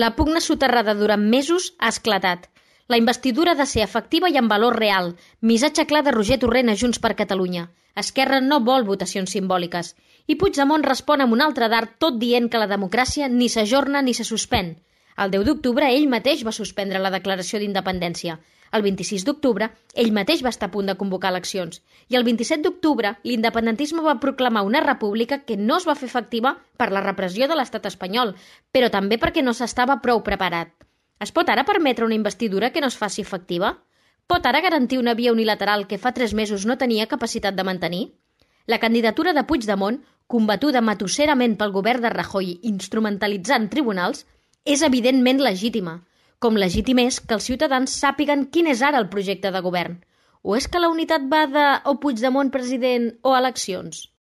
La pugna soterrada durant mesos ha esclatat. La investidura ha de ser efectiva i amb valor real. Missatge clar de Roger Torrent a Junts per Catalunya. Esquerra no vol votacions simbòliques. I Puigdemont respon amb un altre dart tot dient que la democràcia ni s'ajorna ni se suspèn. El 10 d'octubre ell mateix va suspendre la declaració d'independència. El 26 d'octubre ell mateix va estar a punt de convocar eleccions. I el 27 d'octubre l'independentisme va proclamar una república que no es va fer efectiva per la repressió de l'estat espanyol, però també perquè no s'estava prou preparat. Es pot ara permetre una investidura que no es faci efectiva? Pot ara garantir una via unilateral que fa 3 mesos no tenia capacitat de mantenir? La candidatura de Puigdemont, combatuda matusserament pel govern de Rajoy instrumentalitzant tribunals, és evidentment legítima, com legítim és que els ciutadans sàpiguen quin és ara el projecte de govern. O és que la unitat va de o Puigdemont president o eleccions?